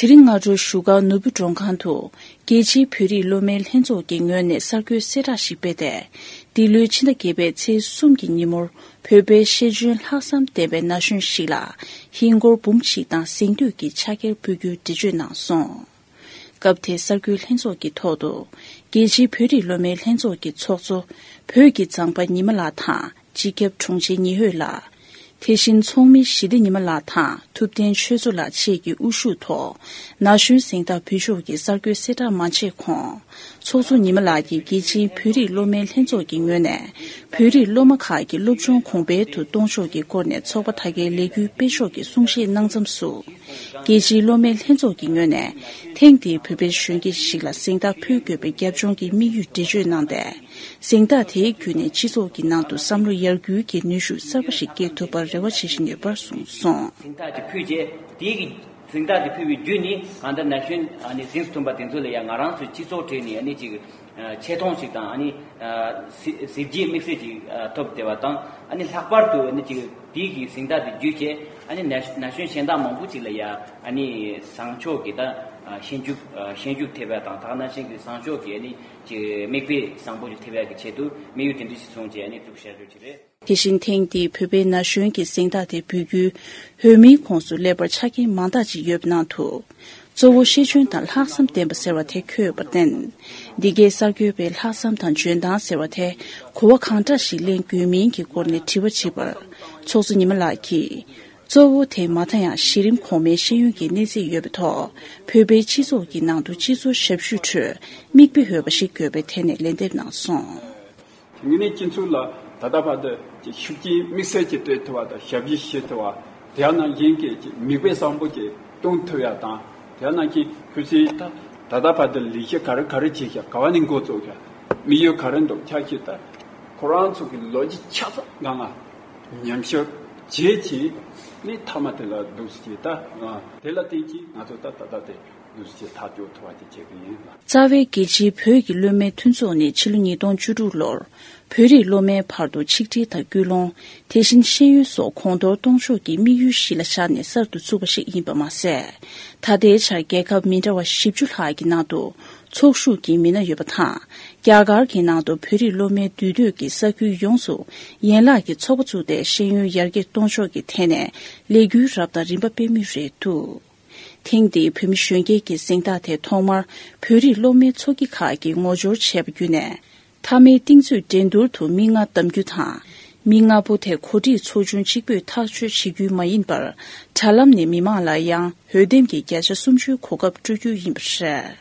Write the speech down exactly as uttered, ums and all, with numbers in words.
དེ་རིང་སྔ་དྲོ་བཞུགས་སྒར་ནོར་བུ་མགྲོན་ཁང་དུ། རྒྱལ་སྤྱིའི་བོད་རིགས་སློབ་མའི་ལྷན་ཚོགས་ཀྱི་ངོས་ནས་གསར་འགོད་གསལ་བསྒྲགས་ཤིག་སྤེལ་ཏེ། འདི་ལོའི་ཕྱི་ཟླ་བརྒྱད་པའི་ཚེས་གསུམ་གྱི་ཉིན་མོར། བོད་པའི་ཤེས་འཇོན་ལྷག་བསམ་ལྡན་པའི་ན་གཞོན་ཞིག་ལ། ཧིན་སྒོར་འབུམ་གཅིག་དང་གཟེངས་བསྟོད་ཀྱི་ཕྱག་འཁྱེར་ཕུལ་རྒྱུའི་འགྲེལ་བརྗོད་གནང་སོང་། སྐབས་དེའི་གསར་འགོད་ལྷན་ཚོགས་ཀྱི་ཐོག་ཏུ། རྒྱལ་སྤྱིའི་བོད་རིགས་སློབ་མའི་ལྷན་ཚོགས་ཀྱི་ཚོགས་གཙོ། བོད་ཀྱི་མཛངས་པ་ཉི་མ་ལགས་དང་། སྤྱི་ཁྱབ་དྲུང་ཆེ་ཉི་འོད་ལགས། དེ་བཞིན་ཚོགས་མི་ཞི་བདེ་ཉི་མ་ལགས་དང་། ཐུབ་བསྟན་ཆོས་མཚོ་ལགས་བཅས་ཀྱི་དབུ་བཞུགས་ཐོག་ན་གཞོན་གཟེངས་རྟགས་ཕུལ་ཕྱོགས་ཀྱི་གསར་འགོད་གསལ་བསྒྲགས་མ་བྱས་གོང་། ཚོགས་གཙོ་ཉི་མ་ལགས་ཀྱིས་རྒྱལ་སྤྱིའི་བོད་རིགས་སློབ་མའི་ལྷན་ཚོགས་ཀྱི་ངོས་ནས། བོད་རིགས་སློབ་མ་ཁག་གི་སློབ་སྦྱོང་གོང་འཕེལ་དུ་གཏོང་ཕྱོགས་ཀྱི་སྐོར་ནས་ཚོགས་པ་དག་གི་ལས་འགུལ་སྤེལ་ཕྱོགས་ཀྱི་གསུང་བཤད་གནང་མཚམས་སུ། རྒྱལ་སྤྱིའི་སློབ་མའི་ལྷན་ཚོགས་ཀྱི་ངོས་ནས། ཐེངས་འདིའི་བོད་པའི་གཞོན་སྐྱེས་ཤིག་ལ་གཟེངས་རྟགས་ཕུལ་དགོས་པའི་རྒྱབ་ལྗོངས་ཀྱི་དམིགས་ཡུལ་འགྲེལ་བརྗོད་གནང་སྟེ། གཟེངས་རྟགས་དེའི་བརྒྱུད་ནས་སྤྱི་ཚོགས་ཀྱི་ནང་དུ་བསམ་བློ་ཡར་འགུལ་གྱི་ནུས་ཤུགས་གསར་པ་ཞིག་སྐྱེ་ཐུབ་པར་རེ་བ་བྱེད་བཞིན་ཡོད་པར་གསུངས་སོང་། གཟེངས་རྟགས་དེ་ཕུལ་རྗེས། དེའི་གི་གཟེངས་རྟགས་དེ་ཕུལ་བའི་བརྒྱུད་ནས། གང་ལྟར་ན་གཞོན་ཨ་ནི་གཟེངས་སུ་ཐོན་པ་དེ་ཚོ་ལ་ཡང་ང་རང་ཚོའི་སྤྱི་ཚོགས་གྲས་ནས་ཨ་ནི་ཅིག་ཆེ་མཐོང་ཞིག་དང་། ཨ་ནི་གཟི་བརྗིད་དམིགས་བསལ་ཅིག་ཐོབ་བསྡད་པ་དང་། ཨ་ནི་ལྷག་པར་དུ་ཨ་ནི་ཅིག་དེའི་གི་གཟེངས་རྟགས་དེ་བརྒྱུད་བྱས། ཨ་ནི་ན་ན་གཞོན་གཞན་དག་མང་པོ་ཅིག་ལ་ཡང་ཨ་ནི་བཟང་ཕྱོགས་ཀྱི་ད་ཤེས་རྒྱུད་ཤེས་རྒྱུད་ཐེབས་པ་དང་། དེ་ནང་བཞིན་གྱི་བཟང་ཕྱོགས་ཀྱི་ཨ་ནི་ཅིག་མིག་དཔེ་བཟང་པོ་ཞིག་ཐེབས་ཡག་གི་ཆེད་དུ་དམིགས་ཡུལ་དེ་འདྲ་ཞིག་བཟུང་བྱས་ཨ་ནི་བཙུགས་བཞག་རྒྱུ་ཅིག་རེད། དེ་བཞིན་ཐེངས་འདིའི་བོད་པའི་ན་གཞོན་གྱི་གཟེངས་རྟགས་དེ་འབུལ་རྒྱུའི་འོས་མིའི་ཁོངས་སུ་སླེབས་པར་ཆ་རྐྱེན་མང་དག་ཅིག་ཡོད་པའི་ནང་དུ། གཙོ་བོ་ཤེས་འཇོན་དང་ལྷག་བསམ་ལྡན་པ་ཟེར་བ་དེ་འཁོད་ཡོད་པར་བརྟེན། འདི་གའི་གསར་འགོད་པས་ལྷག་བསམ་དང་འཇོན་ཐང་ཟེར་བ་དེ་གོ་བ་གང་འདྲ་ཞིག་ལེན་དགོས་མིན་གྱི་སྐོར་ནས་དྲི་བ་དྲིས་པར། ཚོགས་གཙོ་ཉི་མ་ལགས་ཀྱིས། གཙོ་བོ་དེ་མ་མཐའ་ཡང་གཞི་རིམ་གོང་མའི་ཤེས་ཡོན་གྱི་གནས་ཚད་ཡོད་པའི་ཐོག་བོད་པའི་སྤྱི་ཚོགས་ཀྱི་ནང་དུ་སྤྱི་ཚོགས་ཞབས་ཞུའི་ཁྲོད་མིག་དཔེ་འོས་པ་ཞིག་དགོས་པའི་ཐད་ནས་ལན་འདེབས་གནང་སོང་། དེ་ངེད་ནས་སྤྱི་ཚོགས་ལ་ད་ལྟ་བར་དུ་ཀྱི་ཤུགས་རྐྱེན་དམིགས་བསལ་གྱི་སྤྲད་ཐུབ་པ་དང་། ཞབས་ཕྱི་བྱེད་ཐུབ་པ། དེ་ཡང་ནང་བཞིན་གྱི་ཀྱི་མིག་དཔེ་བཟང་པོ་ཅིག་སྟོན་ཐུབ་ཡ་དང་། དེ་ཡང་ནང་བཞིན་ཁྱོད་ཚོས་ད་ད་ལྟ་བར་དུ་ལས་གཞི་ག་རེ་ག་རེ་བྱས་ཤག་ག་བ་ནས་འགོ་བཙུགས་ཤག་དམིགས་ཡུལ་ག་རེ་འདུག་ཆ་ཤས་ད་ཁོ་རང་ཚོ་གི་ལོ་རྒྱུས་ཆ་ཚང་ངང་ང་ཉམས་ཞིབ་བྱས་བྱས་ནས། མཐའ་མ་དེ་ལ་འདུག་སེ་ད་དེ་ལ་བརྟེན་གྱིས་ང་ཚོ་ད་ད་ལྟ་དེ། རྩ་བའི་རྒྱལ་སྤྱིའི་བོད་ཀྱི་སློབ་མའི་མཐུན་ཚོགས་ནི་ཕྱི་ལོ་ཉིས་སྟོང་བཅུ་དྲུག་ལོར་བོད་རིགས་སློབ་མའི་བར་དུ་ཆིག་སྒྲིལ་དང་སྐུལ་སློང་། དེ་བཞིན་ཤེས་ཡོན་སོགས་གོང་མཐོར་གཏོང་ཕྱོགས་ཀྱི་དམིགས་ཡུལ་གཞི་ལ་བཞག་ནས་གསར་དུ་བཙུགས་པ་ཞིག་ཡིན་པ་མ་ཟད། ད་ལྟའི་ཆར་རྒྱལ་ཁབ་མི་འདྲ་བ་བཞི་བཅུ་ལྷག་གི་ནང་དུ་ཚོགས་ཞུགས་ཀྱི་མི་སྣ་ཡོད་པ་དང་། རྒྱ་གར་གྱི་ནང་དུ་བོད་རིགས་སློབ་མའི་འདུས་སྡོད་ཀྱི་ས་ཁུལ་ཡོངས་སུ་ཡན་ལག་གི་ཚོགས་པ་བཙུགས་ཏེ་ཤེས་ཡོན་ཡར་རྒྱས་གཏོང་ཕྱོགས་ཀྱི་ཐད་ནས་ལས་འགུལ་རབ་དང་རིམ་པ་སྤེལ་མུས་རེད་འདུག་ཐེངས་འདིའི་བོད་མི་གཞོན་སྐྱེས་ཀྱི་གཟེངས་རྟགས་དེ་ཐོག་མར་བོད་རིགས་སློབ་མའི་ཚོགས་སྐྱིད་ཁག་གིས་ངོ་སྦྱོར་བྱས་པ་བརྒྱུད་ནས། མཐའ་མའི་རྟིང་རྩོད་འགྲན་བསྡུར་དུ་མི་ལྔ་བདམ་རྒྱུ་དང་། མི་ལྔ་པོ་དེ་གོ་སྒྲིག་ཚོགས་ཆུང་གཅིག་པུས་ཐག་གཅོད་བྱེད་རྒྱུ་མ་ཡིན་པར། དྲ་ལམ་ནས་མི་མང་ལ་ཡང་འོས་འདེམས་ཀྱི་བརྒྱ་ཆ་སུམ་ཅུའི་གོ་སྐབས་སྤྲོད་རྒྱུ་ཡིན་པ་རེད།